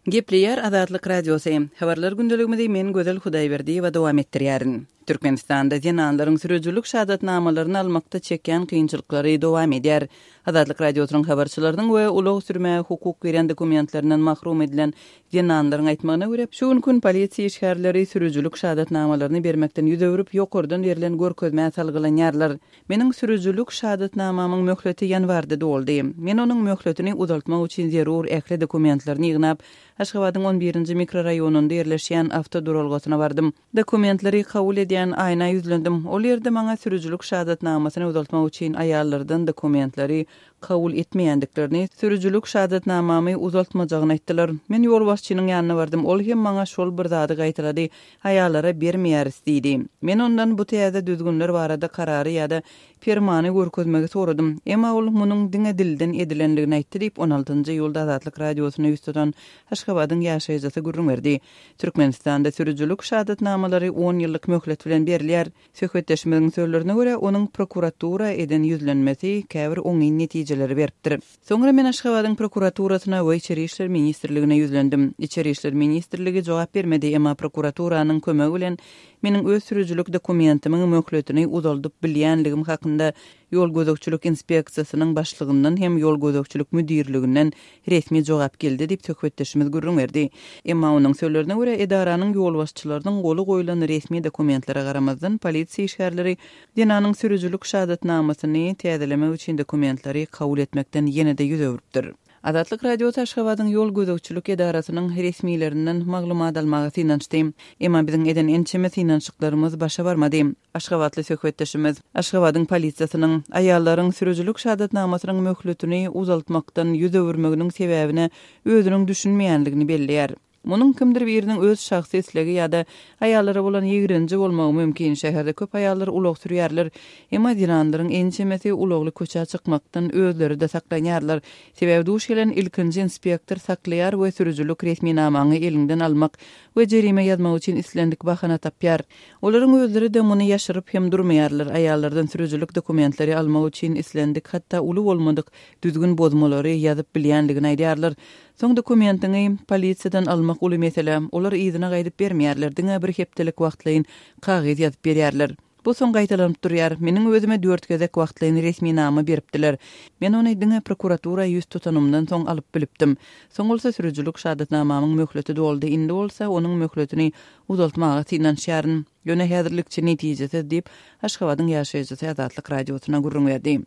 Gepleýär Azatlyk Radiosy. Habarlar gündeligimizi men Gözel Hudaýberdiýewa dowam etdirýärin. Türkmenistanda zenanlaryň sürüjilik şahadatnamalaryny almakda çekýän kynçylyklary dowam edýär. Azatlyk Radiosynyň habarçylarynyň we ulag sürmäge hukuk berýän dokumentlerinden mahrum edilen zenanlaryň aýtmagyna görä, şu günki gün polisiýa işgärleri sürüjilik şahadatnamalaryny bermekden ýüz öwrüp, ýokardan berlen görkezmä salgylanýarlar. Meniň sürüjilik şahadatnamamyň möhleti ýanwarda doldy. Men onuň möhletini uzaltmak üçin zerur ähli dokumentlerini ýygnap, Aşgabadyň on birinji mikroraýonynda ýerleşýän awtoduralgasyna bardym. Dokumentleri kabul edýän Aýna ýüzlendim. Ol ýerde maňa sürüjilik şahadatnamasyny uzaltmak üçin aýallardan dokumentleri kabul etmeýändiklerini, sürüjilik şahadatnamamy uzaltmajagyny aýtdylar. Men ýolbaşçynyň ýanyna bardym, ol hem maňa şol bir zady gaýtalady, Aýallara bermeýäris diýdi. Men ondan bu täze düzgünler barada karary ýa-da permany görkezmegi soradym. Emma ol munuň diňe dilden edilendigini aýtdy diýip, on altynjy iýulda Azatlyk Radiosyna ýüz tutan Aşgabadyň ýaşaýjysy gürrüň berdi. Türkmenistanda sürüjilik şahadatnamalary on ýyllyk möhlet bilen berilýär. Söhbetdeşimiziň sözlerine görä, onuň prokuratura eden ýüzlenmesi käbir oňyn netijeleri beripdir. Soňra men Aşgabadyň prokuraturasyna we Içeri işler ministrligine ýüzlendim. Içeri işler ministrligi jogap bermedi, emma prokuraturanyň kömegi bilen meniň öz sürüjilik dokumentimiň möhletini uzaldyp bilýänligim hakynda ýol gözegçilik inspeksiýasynyň başlygyndan hem ýol gözegçilik müdirliginden resmi jogap geldi diýip, söhbetdeşimiz gürrüň berdi. Emma onuň sözlerine görä, edaranyň ýolbaşçylarynyň goly goýlan resmi dokumentlere garamazdan, polisiýa işgärleri Zenanyň sürüjilik şahadatnamasyny täzelemek üçin dokumentleri kabul etmekden ýene-de ýüz öwrüpdir. Azatlyk Radiosy Aşgabadyň ýol gözegçilik edarasynyň resmilerinden maglumat almaga synanyşdy. Emma biziň eden ençeme synanyşyklarymyz başa barmady. Aşgabatly söhbetdeşimiz Aşgabadyň polisiýasynyň aýallaryň sürüjilik şahadatnamasynyň möhletini uzaltmakdan ýüz öwürmeginiň sebäbine özüniň düşünmeýänligini belleýär. Munuň kimdir biriniň öz şahsy islegi ýa-da aýallara bolan ýigrenji bolmagy mümkin. Şäherde köp aýallar ulag sürýärler. Emma zenanlaryň ençemesi ulagly köçä çykmakdan özleri-de saklanýarlar. Sebäbi duş gelen ilkinji inspektor saklaýar we sürüjilik resminamaňy eliňden almak we jerime ýazmak üçin islendik bahana tapýar. Olaryň özleri-de muny ýaşyryp hem durmaýarlar. Aýallardan sürüjilik dokumentleri almak üçin islendik, hatda uly bolmadyk düzgün bozmalary ýazyp bilýänligini aýdýarlar. Soň dokumentiňi polisiýadan almak uly mesele. Olar yzyna gaýdyp bermeýärler, diňe bir hepdelik wagtlaýyn kagyz ýazyp berýärler. Bu soň gaýtalanyp durýar. Meniň özüme dört gezek wagtlaýyn resminama beripdiler. Men ony diňe prokuratura ýüz tutanymdan soň alyp bilipdim. Soň bolsa sürüjilik şahadatnamamyň möhleti doldy, indi bolsa onuň möhletini uzaltmaga synanyşýaryn. Ýöne häzirlikçe netijesiz diýip, Aşgabadyň ýaşaýjysy Azatlyk Radiosyna gürrüň berdi.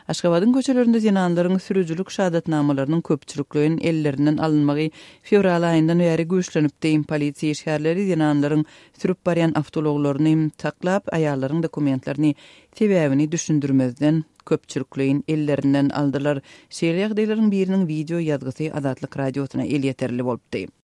Aşgabadyň köçelerinde zenanlaryň sürüjilik şahadatnamalarynyň köpçülikleýin ellerinden alynmagy fewral aýyndan bäri güýçlenipdi. Polisiýa işgärleri zenanlaryň sürüp barýan awtoulaglaryny saklap, aýallaryň dokumentlerini sebäbini düşündirmezden, köpçülikleýin ellerinden aldylar. Şeýle ýagdaýlaryň biriniň wideo ýazgysy Azatlyk Radiosyna elýeterli bolupdy.